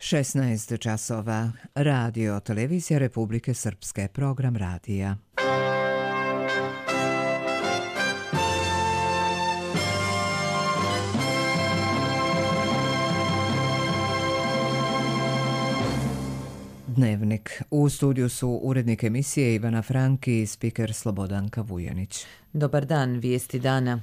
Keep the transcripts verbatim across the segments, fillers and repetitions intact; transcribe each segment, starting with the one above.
šesnaest časova. Radio Televizija Republike Srpske. Program radija. Dnevnik. U studiju su urednik emisije Ivana Franki i spiker Slobodanka Vujanić. Dobar dan, vijesti dana.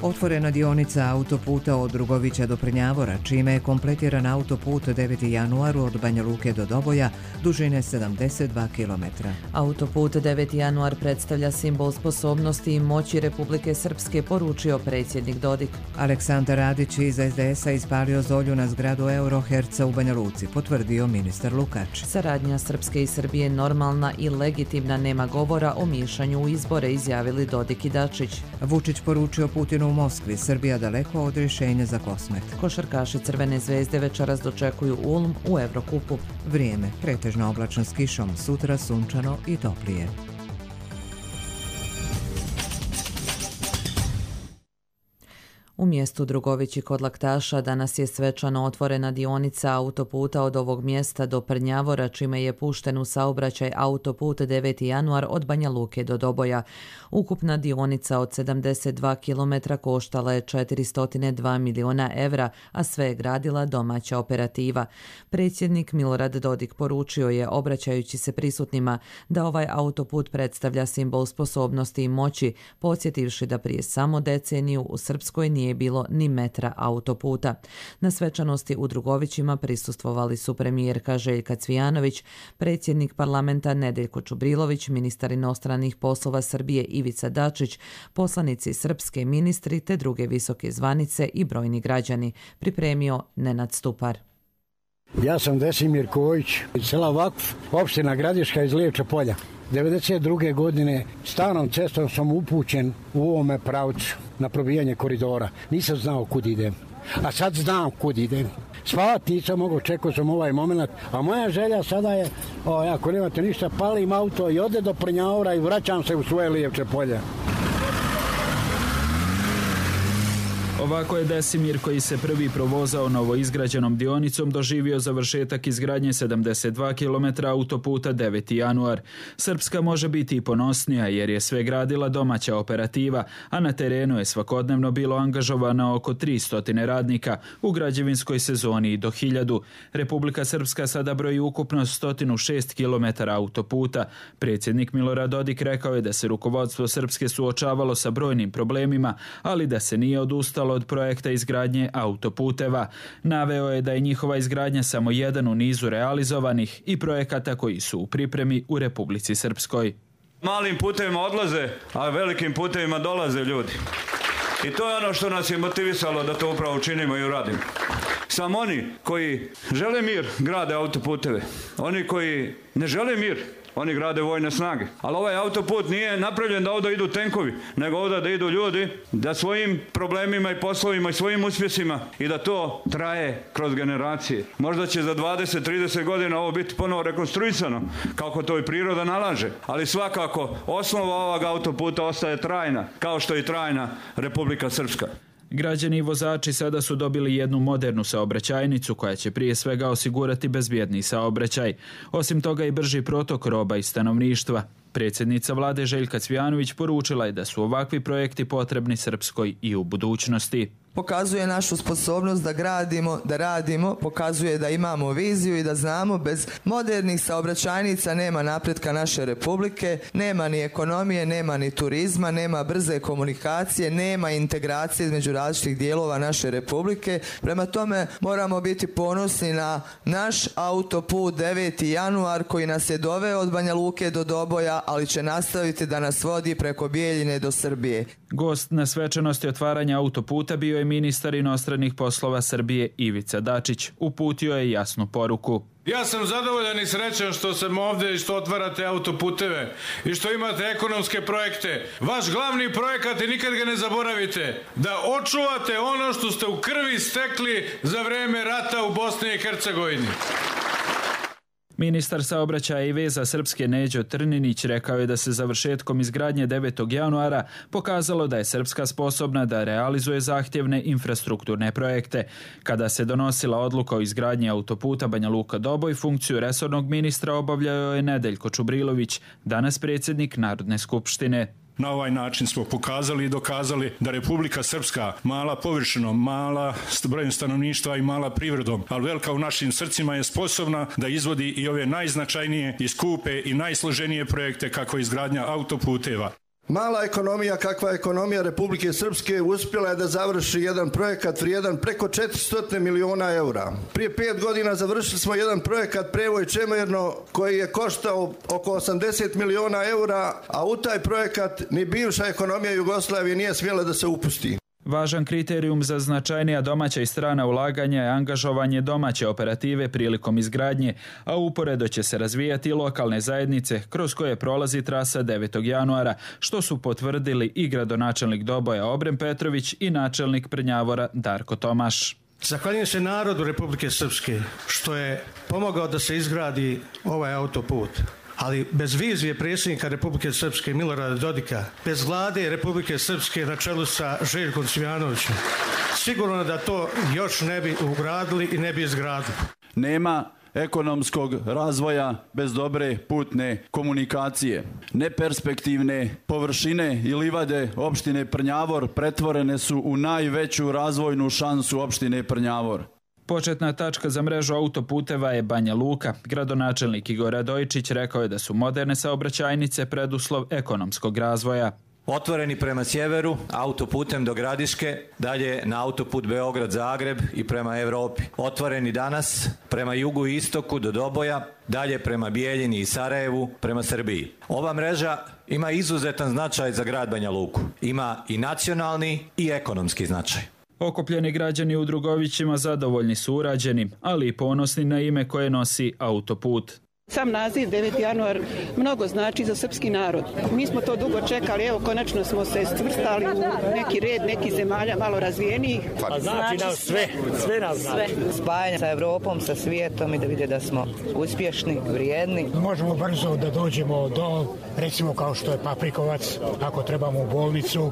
Otvorena dionica autoputa od Drugovića do Prnjavora, čime je kompletiran autoput deveti januar od Banja Luke do Doboja, dužine sedamdeset dva kilometra. Autoput deveti januar predstavlja simbol sposobnosti i moći Republike Srpske, poručio predsjednik Dodik. Aleksandar Radić iz es de es a ispalio zolju na zgradu Euroherca u Banja Luci, potvrdio ministar Lukač. Saradnja Srpske i Srbije normalna i legitimna, nema govora o miješanju u izbore, izjavili Dodik i Dačić. Vučić poručio Putinu u Moskvi, Srbija daleko od rješenja za Kosmet. Košarkaši Crvene zvezde večeras dočekuju Ulm u Evrokupu. Vrijeme, pretežno oblačno s kišom, sutra sunčano i toplije. U mjestu Drugovići kod Laktaša danas je svečano otvorena dionica autoputa od ovog mjesta do Prnjavora, čime je pušten u saobraćaj autoput deveti januar od Banja Luke do Doboja. Ukupna dionica od sedamdeset dva kilometra koštala je četiristo dva miliona evra, a sve je gradila domaća operativa. Predsjednik Milorad Dodik poručio je, obraćajući se prisutnima, da ovaj autoput predstavlja simbol sposobnosti i moći, podsjetivši da prije samo deceniju u Srpskoj nije bilo ni metra autoputa. Na svečanosti u Drugovićima prisustvovali su premijerka Željka Cvijanović, predsjednik parlamenta Nedeljko Čubrilović, ministar inostranih poslova Srbije Ivica Dačić, poslanici srpske, ministri te druge visoke zvanice i brojni građani, pripremio Nenad Stupar. Ja sam Desimir Kojić iz sela Vakf, opština Gradiška iz Lijevča polja. devedeset druge godine starom cestom sam upućen u ovome pravcu na probijanje koridora. Nisam znao kud idem, a sad znam kud idem. Spavati nisam mogao, čekao sam ovaj moment, a moja želja sada je, o, ako nemate ništa, palim auto i ode do Prnjavora i vraćam se u svoje Lijevče polje. Ovako je Desimir, koji se prvi provozao novoizgrađenom dionicom, doživio završetak izgradnje sedamdeset dva kilometra autoputa deveti januar. Srpska može biti i ponosnija jer je sve gradila domaća operativa, a na terenu je svakodnevno bilo angažovano oko tristo radnika, u građevinskoj sezoni i do hiljadu. Republika Srpska sada broji ukupno sto šest kilometara autoputa. Predsjednik Milorad Dodik rekao je da se rukovodstvo Srpske suočavalo sa brojnim problemima, ali da se nije odustalo od projekta izgradnje autoputeva. Naveo je da je njihova izgradnja samo jedan u nizu realizovanih i projekata koji su u pripremi u Republici Srpskoj. Malim putevima odlaze, a velikim putevima dolaze ljudi. I to je ono što nas je motivisalo da to upravo učinimo i uradimo. Samo oni koji žele mir grade autoputeve. Oni koji ne žele mir, oni grade vojne snage. Ali ovaj autoput nije napravljen da ovdje idu tenkovi, nego ovdje da idu ljudi, da svojim problemima i poslovima i svojim uspjesima i da to traje kroz generacije. Možda će za dvadeset do trideset godina ovo biti ponovo rekonstruisano, kako to i priroda nalaže. Ali svakako osnova ovog autoputa ostaje trajna, kao što je i trajna Republika Srpska. Građani i vozači sada su dobili jednu modernu saobraćajnicu koja će prije svega osigurati bezbjedniji saobraćaj. Osim toga i brži protok roba i stanovništva. Predsjednica vlade Željka Cvijanović poručila je da su ovakvi projekti potrebni Srpskoj i u budućnosti. Pokazuje našu sposobnost da gradimo, da radimo, pokazuje da imamo viziju i da znamo bez modernih saobraćajnica nema napretka naše republike, nema ni ekonomije, nema ni turizma, nema brze komunikacije, nema integracije između različitih dijelova naše republike. Prema tome moramo biti ponosni na naš autoput deveti januar koji nas je doveo od Banja Luke do Doboja, ali će nastaviti da nas vodi preko Bijeljine do Srbije. Gost na svečanosti otvaranja autoputa bio je ministar inostranih poslova Srbije Ivica Dačić. Uputio je jasnu poruku. Ja sam zadovoljan i srećan što sam ovdje i što otvarate autoputeve i što imate ekonomske projekte. Vaš glavni projekat, i nikad ga ne zaboravite, da očuvate ono što ste u krvi stekli za vreme rata u Bosni i Hercegovini. Ministar saobraćaja i veza Srpske Neđo Trninić rekao je da se završetkom izgradnje devetog januara pokazalo da je Srpska sposobna da realizuje zahtjevne infrastrukturne projekte. Kada se donosila odluka o izgradnji autoputa Banja Luka-Doboj, funkciju resornog ministra obavljao je Nedeljko Čubrilović, danas predsjednik Narodne skupštine. Na ovaj način smo pokazali i dokazali da Republika Srpska, mala površinom, mala brojem stanovništva i mala privredom, ali velika u našim srcima, je sposobna da izvodi i ove najznačajnije i skupe i najsloženije projekte kako izgradnja autoputeva. Mala ekonomija, kakva je ekonomija Republike Srpske, uspjela je da završi jedan projekat vrijedan preko četiristo miliona eura. Prije pet godina završili smo jedan projekat Prevoj Čemerno koji je koštao oko osamdeset miliona eura, a u taj projekat ni bivša ekonomija Jugoslavije nije smjela da se upusti. Važan kriterijum za značajnija domaća i strana ulaganja je angažovanje domaće operative prilikom izgradnje, a uporedo će se razvijati i lokalne zajednice kroz koje prolazi trasa devetog januara, što su potvrdili i gradonačelnik Doboja Obrem Petrović i načelnik Prnjavora Darko Tomaš. Zahvaljujem se narodu Republike Srpske što je pomogao da se izgradi ovaj autoput. Ali bez vizije predsjednika Republike Srpske Milorada Dodika, bez vlade Republike Srpske na čelu sa Željkom Cvijanovićem, sigurno da to još ne bi ugradili i ne bi izgradili. Nema ekonomskog razvoja bez dobre putne komunikacije. Neperspektivne površine i livade opštine Prnjavor pretvorene su u najveću razvojnu šansu opštine Prnjavor. Početna tačka za mrežu autoputeva je Banja Luka. Gradonačelnik Igor Radojičić rekao je da su moderne saobraćajnice preduslov ekonomskog razvoja. Otvoreni prema sjeveru, autoputem do Gradiške, dalje na autoput Beograd-Zagreb i prema Europi. Otvoreni danas prema jugu i istoku do Doboja, dalje prema Bijeljini i Sarajevu, prema Srbiji. Ova mreža ima izuzetan značaj za grad Banja Luku. Ima i nacionalni i ekonomski značaj. Okupljeni građani u Drugovićima zadovoljni su urađenim, ali i ponosni na ime koje nosi autoput. Sam naziv deveti januar mnogo znači za srpski narod. Mi smo to dugo čekali, evo konačno smo se stvrstali u neki red, neki zemalja malo razvijenijih. Pa znači nam sve, sve nam znači. Spajanje sa Evropom, sa svijetom i da vide da smo uspješni, vrijedni. Možemo brzo da dođemo do, recimo kao što je Paprikovac, ako trebamo u bolnicu.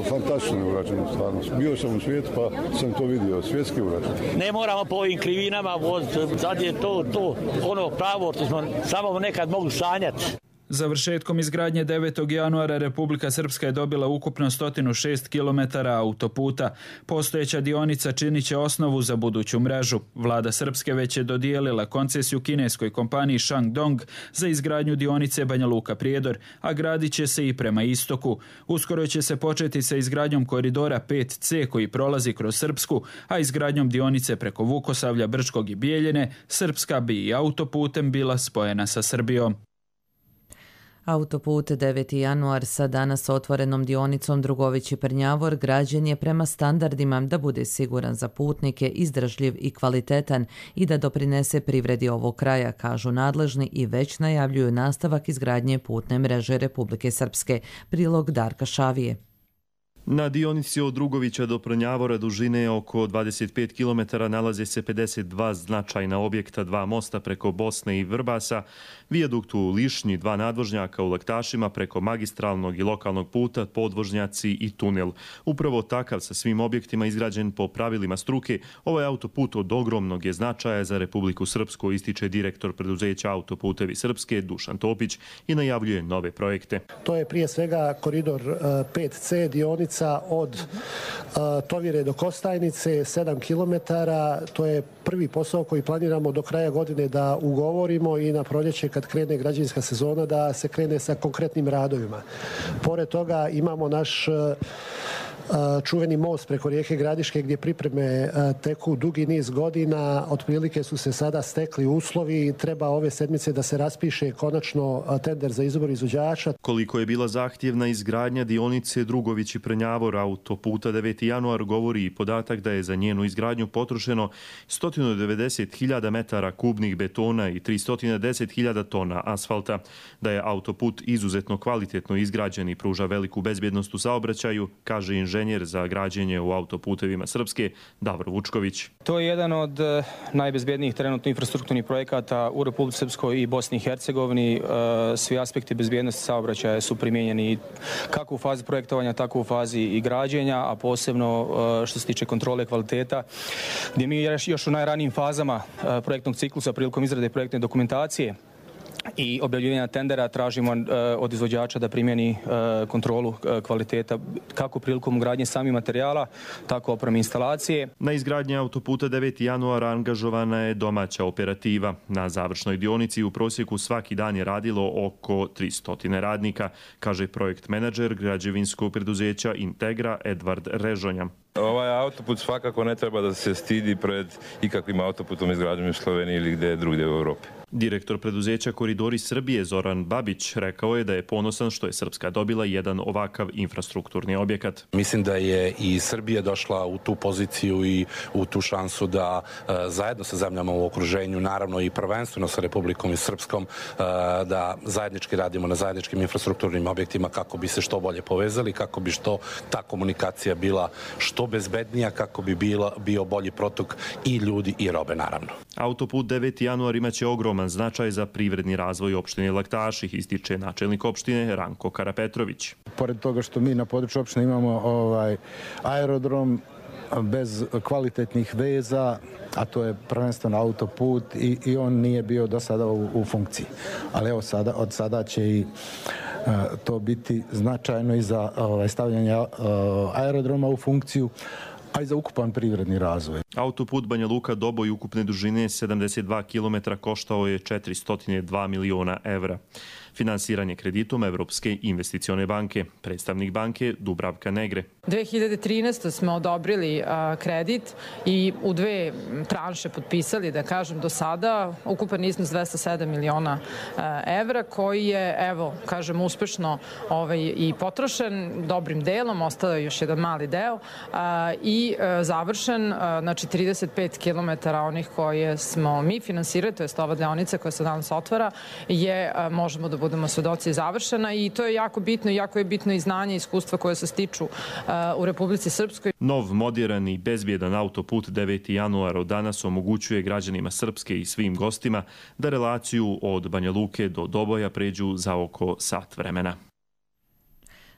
Fantastično je urađeno stvarno. Bio sam u svijetu pa sam to vidio, svjetski urađeno. Ne moramo po ovim krivinama voziti, sad je to, to, ono pravo, smo samo nekad mogli sanjati. Završetkom izgradnje devetog januara Republika Srpska je dobila ukupno sto šest kilometara autoputa. Postojeća dionica činit će osnovu za buduću mrežu. Vlada Srpske već je dodijelila koncesiju kineskoj kompaniji Shandong za izgradnju dionice Banja Luka-Prijedor, a gradit će se i prema istoku. Uskoro će se početi sa izgradnjom koridora pet ce koji prolazi kroz Srpsku, a izgradnjom dionice preko Vukosavlja, Brčkog i Bijeljine, Srpska bi i autoputem bila spojena sa Srbijom. Autoput deveti januar sa danas otvorenom dionicom Drugovići-Prnjavor građen je prema standardima da bude siguran za putnike, izdržljiv i kvalitetan i da doprinese privredi ovog kraja, kažu nadležni i već najavljuju nastavak izgradnje putne mreže Republike Srpske. Prilog Darka Šavije. Na dionici od Drugovića do Prnjavora dužine oko dvadeset pet kilometara nalaze se pedeset dva značajna objekta, dva mosta preko Bosne i Vrbasa, vijadukt u Lišnji, dva nadvožnjaka u Laktašima preko magistralnog i lokalnog puta, podvožnjaci i tunel. Upravo takav sa svim objektima izgrađen po pravilima struke, ovaj autoput od ogromnog je značaja za Republiku Srpsku, ističe direktor preduzeća Autoputevi Srpske Dušan Topić i najavljuje nove projekte. To je prije svega koridor pet ce dionica od uh, Tovire do Kostajnice, sedam kilometara. To je prvi posao koji planiramo do kraja godine da ugovorimo i na proljeće kad krene građevinska sezona da se krene sa konkretnim radovima. Pored toga imamo naš uh, čuveni most preko rijeke Gradiške gdje pripreme teku dugi niz godina. Otprilike su se sada stekli uslovi i treba ove sedmice da se raspiše konačno tender za izbor izvođača. Koliko je bila zahtjevna izgradnja dionice Drugović i Prnjavor autoputa deveti januar govori i podatak da je za njenu izgradnju potrošeno sto devedeset hiljada metara kubnih betona i tristo deset hiljada tona asfalta. Da je autoput izuzetno kvalitetno izgrađen i pruža veliku bezbjednost u saobraćaju, kaže inženjer inženjer za građenje u autoputevima Srpske, Davor Vučković. To je jedan od najbezbjednijih trenutno infrastrukturnih projekata u Republici Srpskoj i Bosni i Hercegovini. Svi aspekti bezbjednosti saobraćaja su primijenjeni kako u fazi projektovanja, tako u fazi i građenja, a posebno što se tiče kontrole kvaliteta, gdje mi još u najranijim fazama projektnog ciklusa prilikom izrade projektne dokumentacije i objavljivanja tendera tražimo od izvođača da primjeni kontrolu kvaliteta kako prilikom ugradnje samih materijala, tako opreme instalacije. Na izgradnji autoputa deveti januar angažovana je domaća operativa. Na završnoj dionici u prosjeku svaki dan je radilo oko tristo radnika, kaže projekt menadžer građevinskog preduzeća Integra Edvard Režonja. Ovaj autoput svakako ne treba da se stidi pred ikakvim autoputom izgrađenim u Sloveniji ili gdje drugdje u Europi. Direktor preduzeća Koridori Srbije Zoran Babić rekao je da je ponosan što je Srpska dobila jedan ovakav infrastrukturni objekat. Mislim da je i Srbija došla u tu poziciju i u tu šansu da e, zajedno sa zemljama u okruženju, naravno i prvenstveno sa Republikom i Srpskom, e, da zajednički radimo na zajedničkim infrastrukturnim objektima kako bi se što bolje povezali, kako bi što ta komunikacija bila što bezbednija, kako bi bila, bio bolji protok i ljudi i robe, naravno. Autoput deveti januar imaće ogroman značaj za privredni razvoj opštine Laktaši, ističe načelnik opštine Ranko Karapetrović. Pored toga što mi na području opštine imamo ovaj aerodrom bez kvalitetnih veza, a to je prvenstveno autoput i, i on nije bio do sada u, u funkciji. Ali evo sada, od sada će i uh, to biti značajno i za ovaj, stavljanje uh, aerodroma u funkciju, a i za ukupan privredni razvoj. Autoput Banja Luka Doboj ukupne dužine sedamdeset dva kilometra koštao je četiristo dva miliona evra. Finansiranje kreditom Evropske investicione banke. Predstavnik banke Dubravka Negre. dve hiljade trinaeste. smo odobrili a, kredit i u dve tranše potpisali, da kažem, do sada ukupan iznos dvesta sedam miliona a, evra, koji je, evo, kažem, uspešno ovaj, i potrošen dobrim delom, ostao je još jedan mali deo a, i a, završen, a, znači trideset pet kilometara onih koje smo mi finansirali, to je ova deonica koja se danas otvara, je, a, možemo da budemo svedoci, završena i to je jako bitno i jako je bitno i znanje i iskustva koje se stiču uh, u Republici Srpskoj. Nov, moderan i bezbjedan autoput deveti januar od danas omogućuje građanima Srpske i svim gostima da relaciju od Banja Luke do Doboja pređu za oko sat vremena.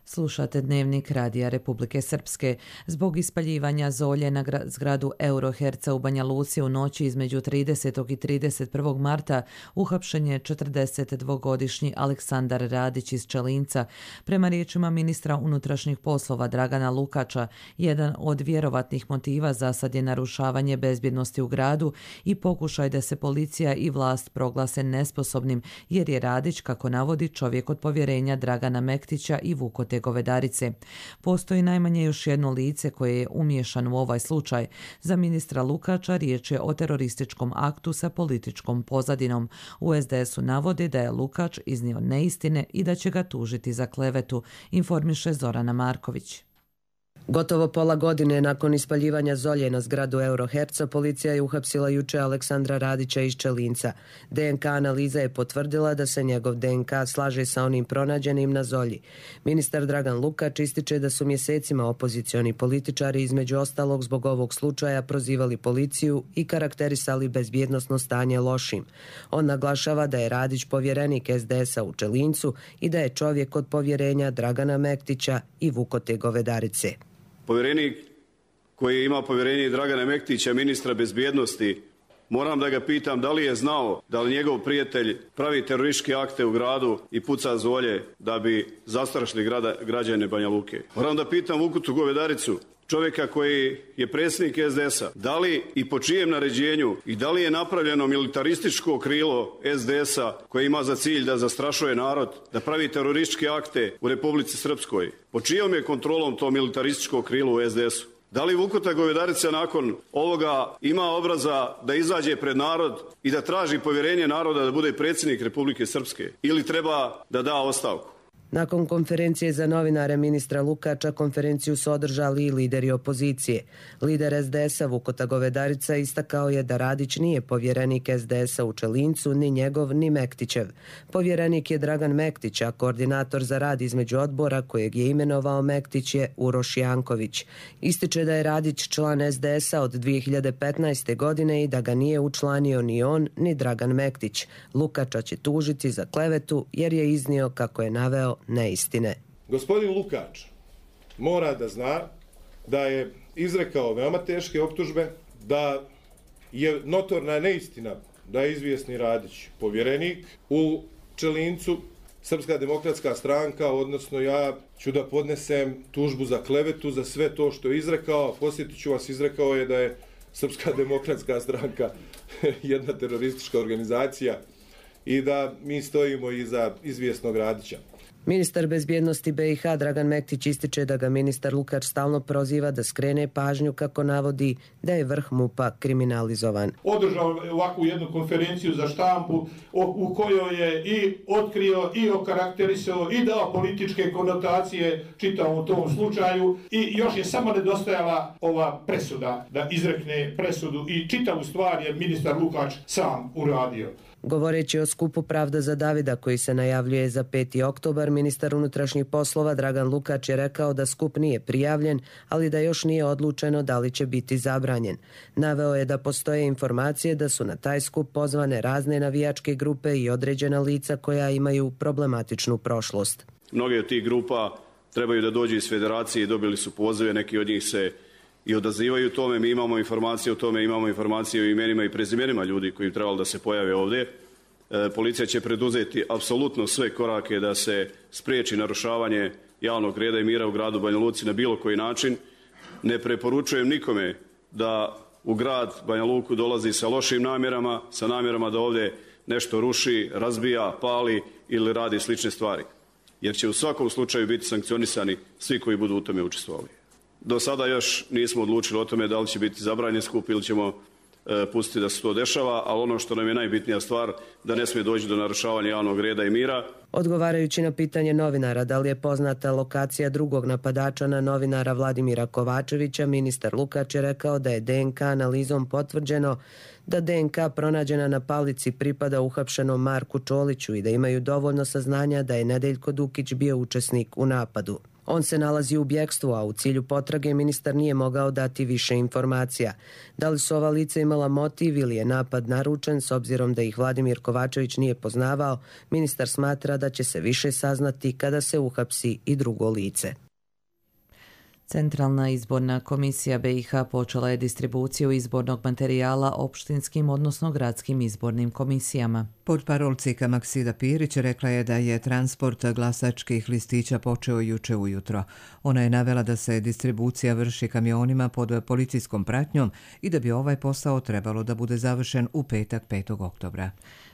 Slušate Dnevnik Radija Republike Srpske. Zbog ispaljivanja zolje na zgradu Euroherca u Banja Luci u noći između tridesetog i trideset prvog marta uhapšen je četrdesetdvogodišnji Aleksandar Radić iz Čelinca. Prema riječima ministra unutrašnjih poslova Dragana Lukača, jedan od vjerovatnih motiva za sad je narušavanje bezbjednosti u gradu i pokušaj da se policija i vlast proglase nesposobnim, jer je Radić, kako navodi, čovjek od povjerenja Dragana Mektića i Vukote Govedarice. Postoji najmanje još jedno lice koje je umiješan u ovaj slučaj. Za ministra Lukača riječ je o terorističkom aktu sa političkom pozadinom. U es de esu navode da je Lukač iznio neistine i da će ga tužiti za klevetu, informiše Zorana Marković. Gotovo pola godine nakon ispaljivanja zolje na zgradu Euroherca, policija je uhapsila juče Aleksandra Radića iz Čelinca. de en ka analiza je potvrdila da se njegov de en ka slaže sa onim pronađenim na zolji. Ministar Dragan Lukač ističe da su mjesecima opozicioni političari između ostalog zbog ovog slučaja prozivali policiju i karakterisali bezbjednosno stanje lošim. On naglašava da je Radić povjerenik es de esa u Čelincu i da je čovjek od povjerenja Dragana Mektića i Vukote Govedarice. Povjerenik koji ima povjerenje Dragana Mektića, ministra bezbjednosti, moram da ga pitam da li je znao da li njegov prijatelj pravi terorističke akte u gradu i puca zolje da bi zastrašili grada, građane Banja Luke. Moram da pitam Vukotu Govedaricu, čovjeka koji je predsjednik es de esa, da li i po čijem naređenju i da li je napravljeno militarističko krilo es de esa koje ima za cilj da zastrašuje narod, da pravi terorističke akte u Republici Srpskoj. Po čijom je kontrolom to militarističko krilo u es de esu? Da li Vukota Govedarica nakon ovoga ima obraza da izađe pred narod i da traži povjerenje naroda da bude predsjednik Republike Srpske ili treba da da ostavku? Nakon konferencije za novinare ministra Lukača, konferenciju su održali i lideri opozicije. Lider es de es a Vukota Govedarica istakao je da Radić nije povjerenik es de es a u Čelincu, ni njegov, ni Mektićev. Povjerenik je Dragan Mektić, a koordinator za rad između odbora kojeg je imenovao Mektić je Uroš Janković. Ističe da je Radić član es de es a od dvije hiljade petnaeste. godine i da ga nije učlanio ni on, ni Dragan Mektić. Lukača će tužiti za klevetu jer je iznio, kako je naveo, neistine. Gospodin Lukač mora da zna da je izrekao veoma teške optužbe, da je notorna neistina da je izvjesni Radić povjerenik u Čelincu. Srpska demokratska stranka, odnosno ja, ću da podnesem tužbu za klevetu, za sve to što je izrekao. Posjetit ću vas, izrekao je da je Srpska demokratska stranka jedna teroristička organizacija i da mi stojimo iza izvjesnog Radića. Ministar bezbjednosti be i ha Dragan Mektić ističe da ga ministar Lukač stalno proziva da skrene pažnju, kako navodi, da je vrh MUP-a kriminalizovan. Održao ovakvu jednu konferenciju za štampu u kojoj je i otkrio i okarakterisao i dao političke konotacije čitavom tom slučaju i još je samo nedostajala ova presuda, da izrekne presudu i čitavu stvar je ministar Lukač sam uradio. Govoreći o skupu Pravda za Davida koji se najavljuje za peti oktobar, ministar unutrašnjih poslova Dragan Lukač je rekao da skup nije prijavljen, ali da još nije odlučeno da li će biti zabranjen. Naveo je da postoje informacije da su na taj skup pozvane razne navijačke grupe i određena lica koja imaju problematičnu prošlost. Mnoge od tih grupa trebaju da dođu iz federacije i dobili su pozive, neki od njih se i odazivaju tome. Mi imamo informacije o tome, imamo informacije o imenima i prezimenima ljudi koji trebali da se pojave ovdje. E, policija će preduzeti apsolutno sve korake da se spriječi narušavanje javnog reda i mira u gradu Banja Luci na bilo koji način. Ne preporučujem nikome da u grad Banja Luku dolazi sa lošim namjerama, sa namjerama da ovdje nešto ruši, razbija, pali ili radi slične stvari. Jer će u svakom slučaju biti sankcionisani svi koji budu u tome učestvovali. Do sada još nismo odlučili o tome da li će biti zabranjen skup ili ćemo e, pustiti da se to dešava, ali ono što nam je najbitnija stvar, da ne smije doći do narušavanja javnog reda i mira. Odgovarajući na pitanje novinara da li je poznata lokacija drugog napadača na novinara Vladimira Kovačevića, ministar Lukač je rekao da je de en ka analizom potvrđeno da de en ka pronađena na palici pripada uhapšenom Marku Čoliću i da imaju dovoljno saznanja da je Nedeljko Dukić bio učesnik u napadu. On se nalazi u bjekstvu, a u cilju potrage ministar nije mogao dati više informacija. Da li su ova lica imala motiv ili je napad naručen, s obzirom da ih Vladimir Kovačević nije poznavao, ministar smatra da će se više saznati kada se uhapsi i drugo lice. Centralna izborna komisija be i ha počela je distribuciju izbornog materijala opštinskim, odnosno gradskim izbornim komisijama. Portparolcika Maksida Pirić rekla je da je transport glasačkih listića počeo juče ujutro. Ona je navela da se distribucija vrši kamionima pod policijskom pratnjom i da bi ovaj posao trebalo da bude završen u petak petog oktobra.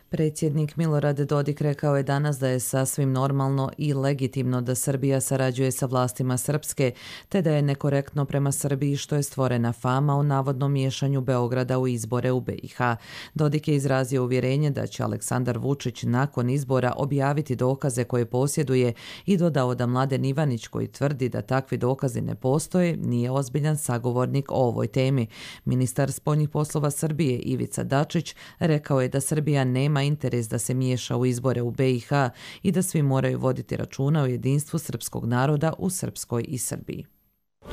Predsjednik Milorad Dodik rekao je danas da je sasvim normalno i legitimno da Srbija sarađuje sa vlastima Srpske, te da je nekorektno prema Srbiji što je stvorena fama o navodnom miješanju Beograda u izbore u be i ha. Dodik je izrazio uvjerenje da će Aleksandar Vučić nakon izbora objaviti dokaze koje posjeduje i dodao da Mladen Ivanić, koji tvrdi da takvi dokazi ne postoje, nije ozbiljan sagovornik o ovoj temi. Ministar spoljnih poslova Srbije Ivica Dačić rekao je da Srbija nema interes da se miješa u izbore u be i ha i da svi moraju voditi računa o jedinstvu srpskog naroda u Srpskoj i Srbiji.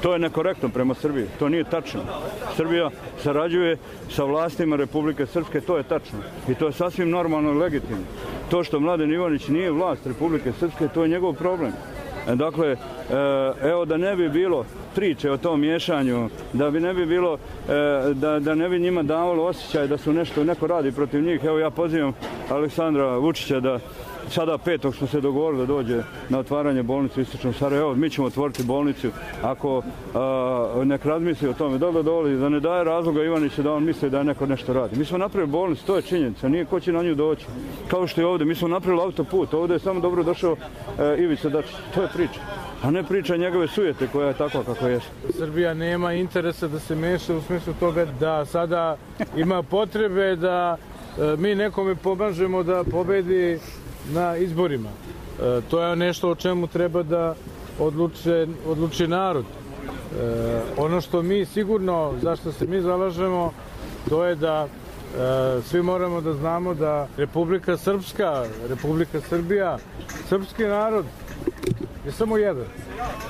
To je nekorektno prema Srbiji, to nije tačno. Srbija sarađuje sa vlastima Republike Srpske, to je tačno. I to je sasvim normalno i legitimno. To što Mladen Ivanić nije vlast Republike Srpske, to je njegov problem. Dakle, evo da ne bi bilo priče o tom miješanju, da bi ne bi bilo, da, da ne bi njima davalo osjećaj da su nešto, neko radi protiv njih. Evo ja pozivam Aleksandra Vučića da sada petog smo se dogovorili da dođe na otvaranje bolnice u Istočnom Sarajevu. Evo, mi ćemo otvoriti bolnicu ako a, nek razmisli o tome. Dobro dovoli, da ne daje razloga Ivaniću da on misli da je neko nešto radi. Mi smo napravili bolnicu, to je činjenica, nije ko će na nju doći. Kao što je ovdje, mi smo napravili autoput, ovdje je samo dobro došao e, Ivica Dačić. To je priča, a ne priča njegove sujete koja je takva kako je. Srbija nema interesa da se meša u smislu toga da sada ima potrebe da e, mi nekome pomažemo da pobedi na izborima. To je nešto o čemu treba da odluče, odluči narod. Ono što mi sigurno, zašto se mi zalažemo, to je da svi moramo da znamo da Republika Srpska, Republika Srbija, srpski narod je samo jedan.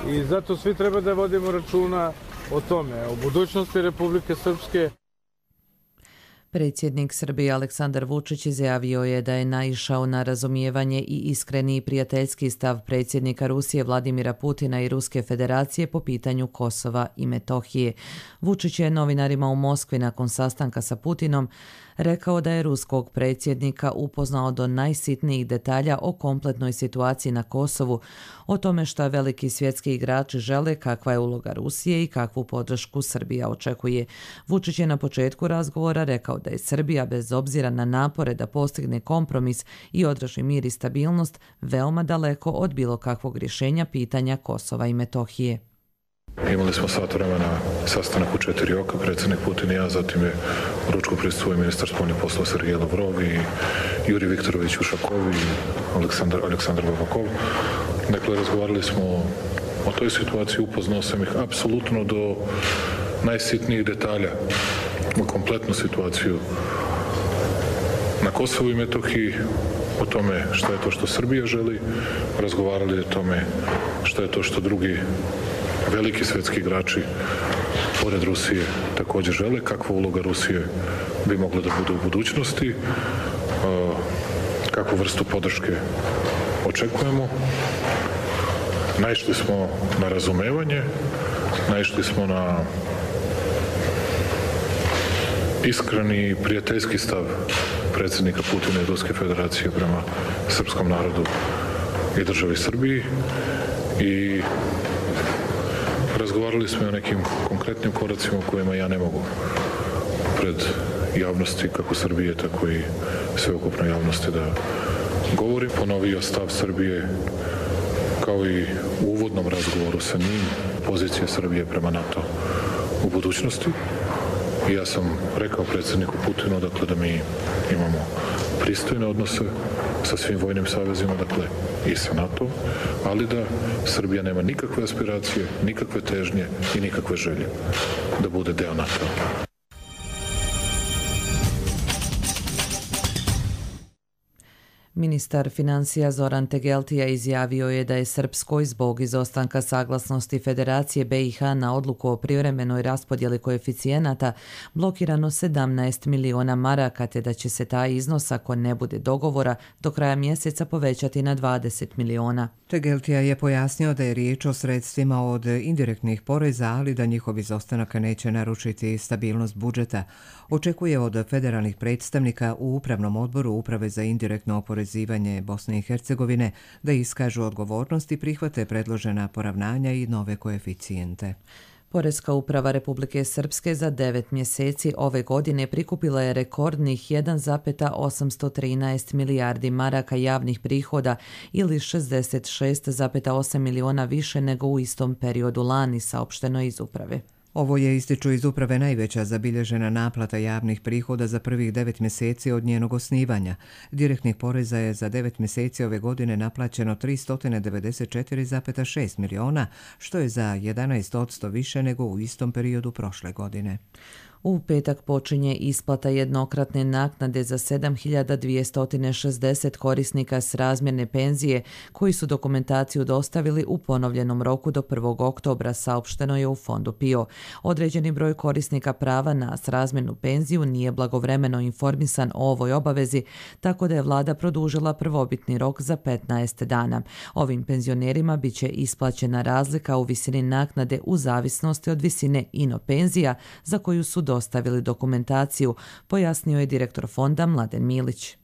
I zato svi treba da vodimo računa o tome, o budućnosti Republike Srpske. Predsjednik Srbije Aleksandar Vučić izjavio je da je naišao na razumijevanje i iskreni i prijateljski stav predsjednika Rusije Vladimira Putina i Ruske federacije po pitanju Kosova i Metohije. Vučić je novinarima u Moskvi nakon sastanka sa Putinom rekao da je ruskog predsjednika upoznao do najsitnijih detalja o kompletnoj situaciji na Kosovu, o tome šta veliki svjetski igrači žele, kakva je uloga Rusije i kakvu podršku Srbija očekuje. Vučić je na početku razgovora rekao da je Srbija, bez obzira na napore da postigne kompromis i održi mir i stabilnost, veoma daleko od bilo kakvog rješenja pitanja Kosova i Metohije. Imali smo sat vremena sastanak u četiri oka, predsjednik Putin i ja, zatim je ručku prisustvovao ministar spoljnih poslova Sergej Lavrov i Juri Viktorović Ušakov i Aleksandar, Aleksandar Babakov. Dakle, razgovarali smo o toj situaciji, upoznao sam ih apsolutno do najsitnijih detalja u kompletnu situaciju na Kosovu i Metohiji, o tome šta je to što Srbija želi, razgovarali o tome šta je to što drugi veliki svjetski igrači pored Rusije također žele, kakva uloga Rusije bi mogla da bude u budućnosti, kakvu vrstu podrške očekujemo. Naišli smo na razumevanje, naišli smo na iskreni prijateljski stav predsjednika Putina i Ruske federacije prema srpskom narodu i državi Srbiji i razgovarali smo o nekim konkretnim koracima o kojima ja ne mogu pred javnosti kako Srbije, tako i sveukupnoj javnosti da govorim. Ponovio stav Srbije kao i u uvodnom razgovoru sa njim, pozicije Srbije prema NATO u budućnosti. I ja sam rekao predsjedniku Putinu dakle, da mi imamo pristojne odnose sa svim vojnim savezima, dakle i sa NATO, ali da Srbija nema nikakve aspiracije, nikakve težnje i nikakve želje da bude deo NATO. Ministar financija Zoran Tegeltija izjavio je da je Srpskoj zbog izostanka saglasnosti Federacije B i H na odluku o privremenoj raspodjeli koeficijenata blokirano sedamnaest miliona maraka, te da će se taj iznos, ako ne bude dogovora, do kraja mjeseca povećati na dvadeset miliona. Tegeltija je pojasnio da je riječ o sredstvima od indirektnih poreza, ali da njihov izostanak neće narušiti stabilnost budžeta. Očekuje od federalnih predstavnika u Upravnom odboru Uprave za indirektno oporezivanje Bosne i Hercegovine da iskažu odgovornost i prihvate predložena poravnanja i nove koeficijente. Poreska uprava Republike Srpske za devet mjeseci ove godine prikupila je rekordnih jedan zarez osamsto trinaest milijardi maraka javnih prihoda ili šezdeset šest zarez osam miliona više nego u istom periodu lani, saopšteno iz uprave. Ovo je, ističu iz uprave, najveća zabilježena naplata javnih prihoda za prvih devet mjeseci od njenog osnivanja. Direktnih poreza je za devet mjeseci ove godine naplaćeno tristo devedeset četiri zarez šest miliona, što je za jedanaest posto više nego u istom periodu prošle godine. U petak počinje isplata jednokratne naknade za sedam hiljada dvjesto šezdeset korisnika s razmjerne penzije koji su dokumentaciju dostavili u ponovljenom roku do prvog oktobra, saopšteno je u Fondu P I O. Određeni broj korisnika prava na srazmjernu penziju nije blagovremeno informisan o ovoj obavezi, tako da je vlada produžila prvobitni rok za petnaest dana. Ovim penzionerima bit će isplaćena razlika u visini naknade u zavisnosti od visine ino penzija za koju su dostavili dokumentaciju, pojasnio je direktor fonda Mladen Milić.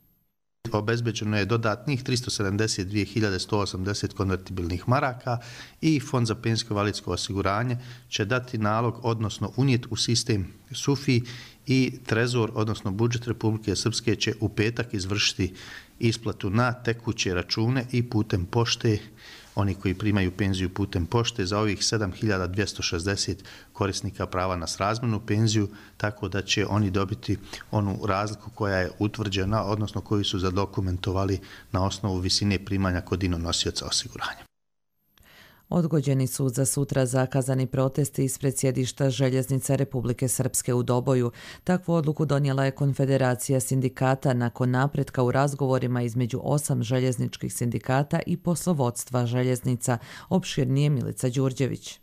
Obezbeđeno je dodatnih tristo sedamdeset dvije hiljade sto osamdeset konvertibilnih maraka i Fond za penzijsko i invalidsko osiguranje će dati nalog, odnosno unijeti u sistem SUFI i Trezor, odnosno budžet Republike Srpske će u petak izvršiti isplatu na tekuće račune i putem pošte oni koji primaju penziju putem pošte, za ovih sedam hiljada dvjesto šezdeset korisnika prava na srazmjernu penziju, tako da će oni dobiti onu razliku koja je utvrđena, odnosno koju su zadokumentovali na osnovu visine primanja kod nosioca osiguranja. Odgođeni su za sutra zakazani protesti ispred sjedišta Željeznica Republike Srpske u Doboju. Takvu odluku donijela je Konfederacija sindikata nakon napretka u razgovorima između osam željezničkih sindikata i poslovodstva željeznica. Opširnije Milica Đurđević.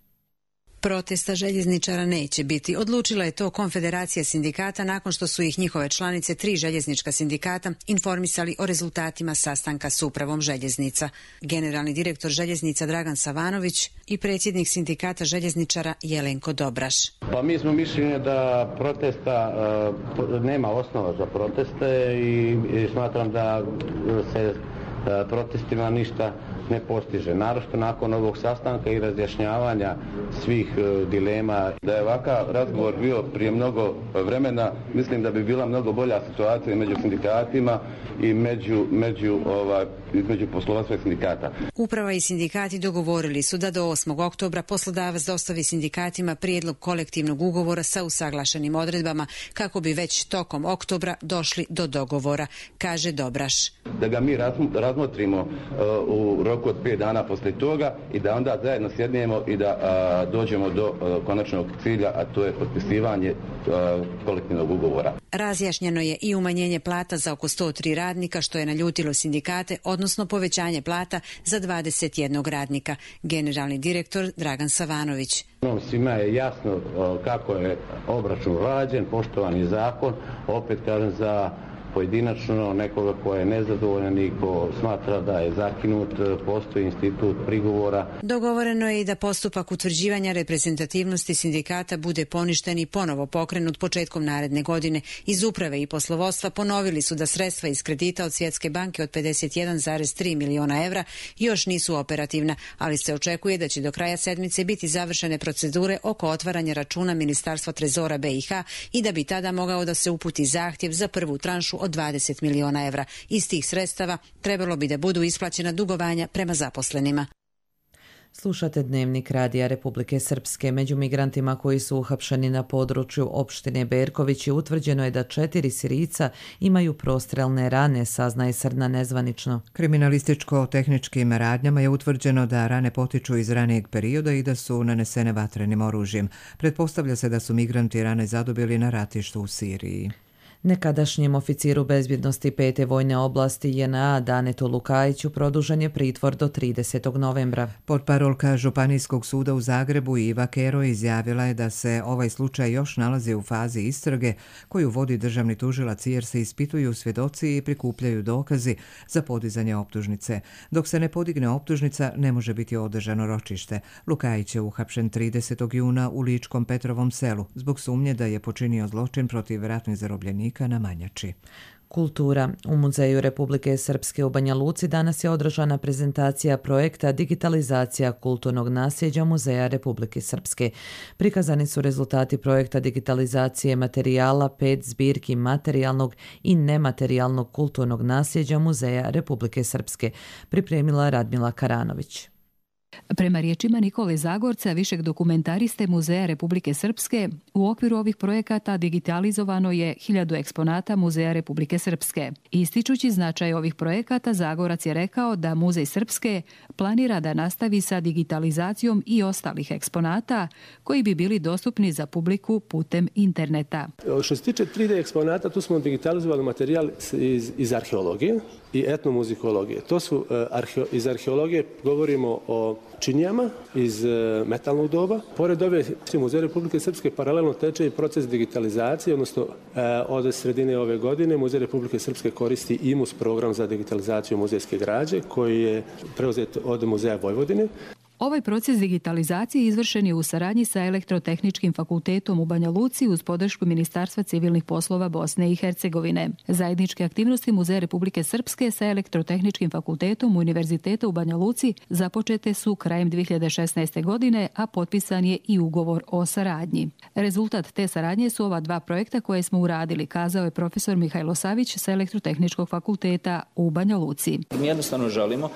Protesta željezničara neće biti. Odlučila je to Konfederacija sindikata nakon što su ih njihove članice, tri željeznička sindikata, informisali o rezultatima sastanka s upravom željeznica. Generalni direktor željeznica Dragan Savanović i predsjednik sindikata željezničara Jelenko Dobraš. Pa mi smo mišljenja da protesta uh, nema osnova za proteste i, i smatram da se uh, protestima ništa ne postiže. Naročito nakon ovog sastanka i razjašnjavanja svih uh, dilema. Da je ovakav razgovor bio prije mnogo vremena, mislim da bi bila mnogo bolja situacija među sindikatima i među, među, ovaj, između poslovodstva i sindikata. Uprava i sindikati dogovorili su da do osmog oktobra poslodavac dostavi sindikatima prijedlog kolektivnog ugovora sa usaglašenim odredbama kako bi već tokom oktobra došli do dogovora, kaže Dobraš. Da ga mi razmotrimo uh, u roku od pet dana poslije toga i da onda zajedno sjednemo i da uh, dođemo do uh, konačnog cilja, a to je potpisivanje uh, kolektivnog ugovora. Razjašnjeno je i umanjenje plata za oko sto tri radnika, što je naljutilo sindikate, odnosno povećanje plata za dvadeset jednog radnika. Generalni direktor Dragan Savanović. Svima je jasno kako je obračun rađen, poštovani zakon, opet kažem za pojedinačno nekoga ko je nezadovoljan i ko smatra da je zakinut, postoji institut prigovora. Dogovoreno je i da postupak utvrđivanja reprezentativnosti sindikata bude poništen i ponovo pokrenut početkom naredne godine. Iz uprave i poslovodstva ponovili su da sredstva iz kredita od Svjetske banke od pedeset jedan zarez tri miliona evra još nisu operativna, ali se očekuje da će do kraja sedmice biti završene procedure oko otvaranja računa Ministarstva trezora B i H i da bi tada mogao da se uputi zahtjev za prvu tranšu od dvadeset miliona evra. Iz tih sredstava trebalo bi da budu isplaćena dugovanja prema zaposlenima. Slušate Dnevnik Radija Republike Srpske. Među migrantima koji su uhapšeni na području opštine Berković utvrđeno je da četiri Sirijca imaju prostrelne rane, saznaje Srna nezvanično. Kriminalističko-tehničkim radnjama je utvrđeno da rane potiču iz ranijeg perioda i da su nanesene vatrenim oružjem. Pretpostavlja se da su migranti rane zadobili na ratištu u Siriji. Nekadašnjem oficiru bezbjednosti pete vojne oblasti J N A Danetu Lukajiću produžen je pritvor do tridesetog novembra. Portparolka Županijskog suda u Zagrebu Iva Kero izjavila je da se ovaj slučaj još nalazi u fazi istrage koju vodi državni tužilac jer se ispituju svjedoci i prikupljaju dokazi za podizanje optužnice. Dok se ne podigne optužnica, ne može biti održano ročište. Lukajić je uhapšen tridesetog juna u Ličkom Petrovom selu zbog sumnje da je počinio zločin protiv ratnih zarobljenika na Manjači. Kultura. U Muzeju Republike Srpske u Banja Luci danas je održana prezentacija projekta Digitalizacija kulturnog nasljeđa Muzeja Republike Srpske. Prikazani su rezultati projekta digitalizacije materijala pet zbirki materijalnog i nematerijalnog kulturnog nasljeđa Muzeja Republike Srpske, pripremila Radmila Karanović. Prema riječima Nikole Zagorca, višeg dokumentariste Muzeja Republike Srpske, u okviru ovih projekata digitalizovano je hiljadu eksponata Muzeja Republike Srpske. Ističući značaj ovih projekata, Zagorac je rekao da Muzej Srpske planira da nastavi sa digitalizacijom i ostalih eksponata koji bi bili dostupni za publiku putem interneta. Što se tiče tri D eksponata, tu smo digitalizovali materijal iz, iz arheologije i etnomuzikologije. To su uh, arheo, iz arheologije govorimo o činijama iz uh, metalnog doba. Pored ove Muzeja Republike Srpske paralelno teče i proces digitalizacije, odnosno uh, od sredine ove godine Muzej Republike Srpske koristi I M U S program za digitalizaciju muzejske građe koji je preuzet od Muzeja Vojvodine. Ovaj proces digitalizacije izvršen je u saradnji sa Elektrotehničkim fakultetom u Banja Luci uz podršku Ministarstva civilnih poslova Bosne i Hercegovine. Zajedničke aktivnosti Muzeja Republike Srpske sa Elektrotehničkim fakultetom Univerziteta u Banja Luci započete su krajem dvije hiljade šesnaeste. godine, a potpisan je i ugovor o saradnji. Rezultat te saradnje su ova dva projekta koje smo uradili, kazao je profesor Mihajlo Savić sa Elektrotehničkog fakulteta u Banja Luci. Mi jednostavno želimo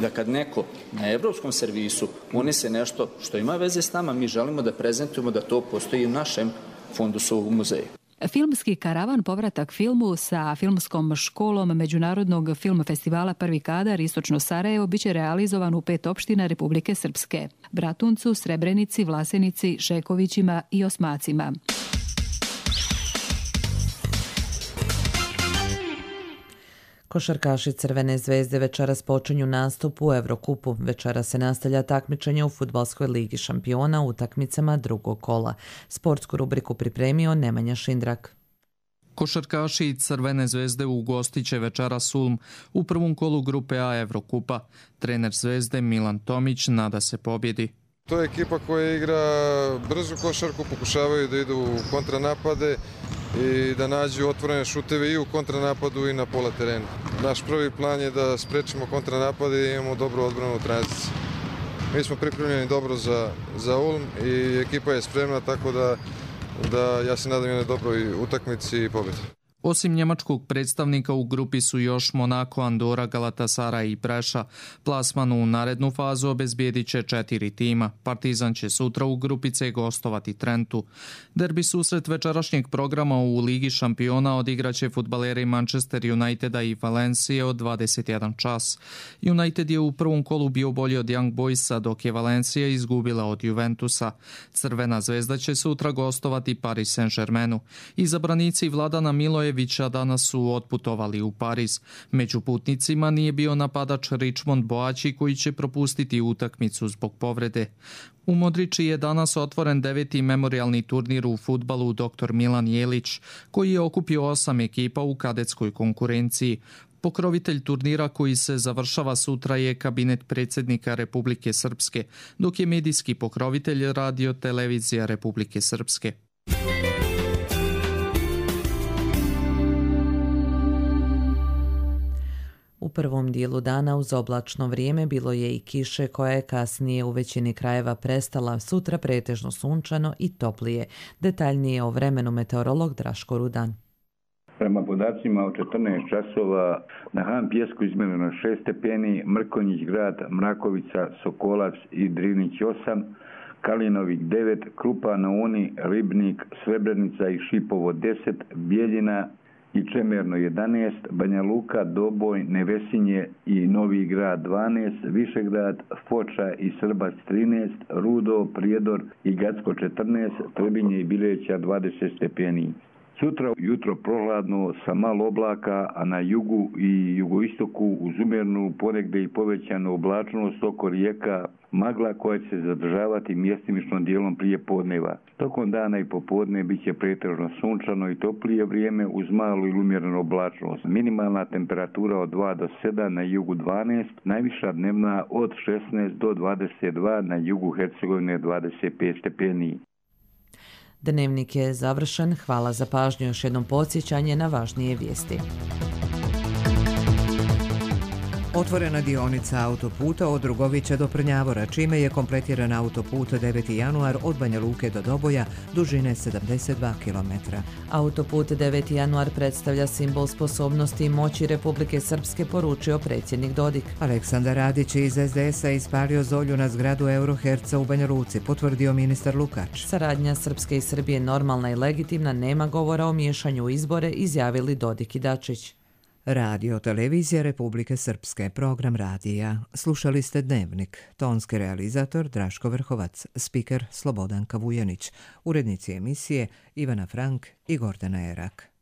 da kad neko na evropskom servisu unese nešto što ima veze s nama, mi želimo da prezentujemo da to postoji u našem fundusu u muzeju. Filmski karavan povratak filmu sa filmskom školom Međunarodnog film festivala Prvi kadar Istočno Sarajevo biće realizovan u pet opština Republike Srpske: Bratuncu, Srebrenici, Vlasenici, Šekovićima i Osmacima. Košarkaši Crvene zvezde večeras počinju nastup u Evrokupu. Večeras se nastavlja takmičenje u Fudbalskoj ligi šampiona u utakmicama drugog kola. Sportsku rubriku pripremio Nemanja Šindrak. Košarkaši Crvene zvezde ugostiće večeras Ulm u prvom kolu grupe A Evrokupa. Trener Zvezde Milan Tomić nada se pobjedi. To je ekipa koja igra brzu košarku, pokušavaju da idu u kontranapade i da nađu otvorene šuteve i u kontranapadu i na pola terena. Naš prvi plan je da sprečimo kontranapade i imamo dobru odbranu u tranziciji. Mi smo pripremljeni dobro za, za Ulm i ekipa je spremna, tako da, da ja se nadam jednoj dobroj utakmici i pobjedi. Osim njemačkog predstavnika u grupi su još Monako, Andora, Galatasaray i Preša. Plasman u narednu fazu obezbijedit će četiri tima. Partizan će sutra u grupi C gostovati Trentu. Derbi susret večerašnjeg programa u Ligi šampiona odigraće fudbaleri Manchester Uniteda i Valencije od dvadeset jedan čas. United je u prvom kolu bio bolji od Young Boysa, dok je Valencija izgubila od Juventusa. Crvena zvezda će sutra gostovati Paris Saint-Germainu. Izabranici Vladana Milojevića danas su otputovali u Pariz. Među putnicima nije bio napadač Richmond Boači koji će propustiti utakmicu zbog povrede. U Modriči je danas otvoren deveti memorijalni turnir u fudbalu doktor Milan Jelić, koji je okupio osam ekipa u kadetskoj konkurenciji. Pokrovitelj turnira koji se završava sutra je kabinet predsjednika Republike Srpske, dok je medijski pokrovitelj Radio Televizija Republike Srpske. U prvom dijelu dana uz oblačno vrijeme bilo je i kiše koja je kasnije u većini krajeva prestala, sutra pretežno sunčano i toplije. Detaljnije o vremenu meteorolog Draško Rudan. Prema podacima od četrnaest časova na Han Pjesku izmjereno šest stepeni, Mrkonjić grad, Mrakovica, Sokolac i Drinić osam, Kalinovik devet, Krupa na Uni, Ribnik, Srebrenica i Šipovo deset, Bijeljina i Čemerno jedanaest, Banja Luka, Doboj, Nevesinje i Novi grad dvanaest, Višegrad, Foča i Srbac trinaest, Rudo, Prijedor i Gacko četrnaest, Trebinje i Bileća dvadeset stepeni. Sutra jutro prohladno sa malo oblaka, a na jugu i jugoistoku uz umjernu ponegde i povećanu oblačnost oko rijeka magla koja će se zadržavati mjestimično dijelom prije podneva. Tokom dana i popodne bit će pretežno sunčano i toplije vrijeme uz malu ili umjerenu oblačnost. Minimalna temperatura od dva do sedam, na jugu dvanaest, najviša dnevna od šesnaest do dvadeset dva, na jugu Hercegovine dvadeset pet stepeni. Dnevnik je završen. Hvala za pažnju. Još jednom podsjećanje na važnije vijesti. Otvorena dionica autoputa od Drugovića do Prnjavora, čime je kompletiran autoput deveti januar od Banja Luke do Doboja, dužine sedamdeset dva kilometra. Autoput deveti januar predstavlja simbol sposobnosti i moći Republike Srpske, poručio predsjednik Dodik. Aleksandar Radić iz es de esa ispalio zolju na zgradu Euroherca u Banja Luci, potvrdio ministar Lukač. Saradnja Srpske i Srbije normalna i legitimna, nema govora o miješanju u izbore, izjavili Dodik i Dačić. Radio Televizija Republike Srpske, program radija. Slušali ste Dnevnik. Tonski realizator Draško Vrhovac, spiker Slobodanka Vujanić, urednici emisije Ivana Frank i Gordana Erak.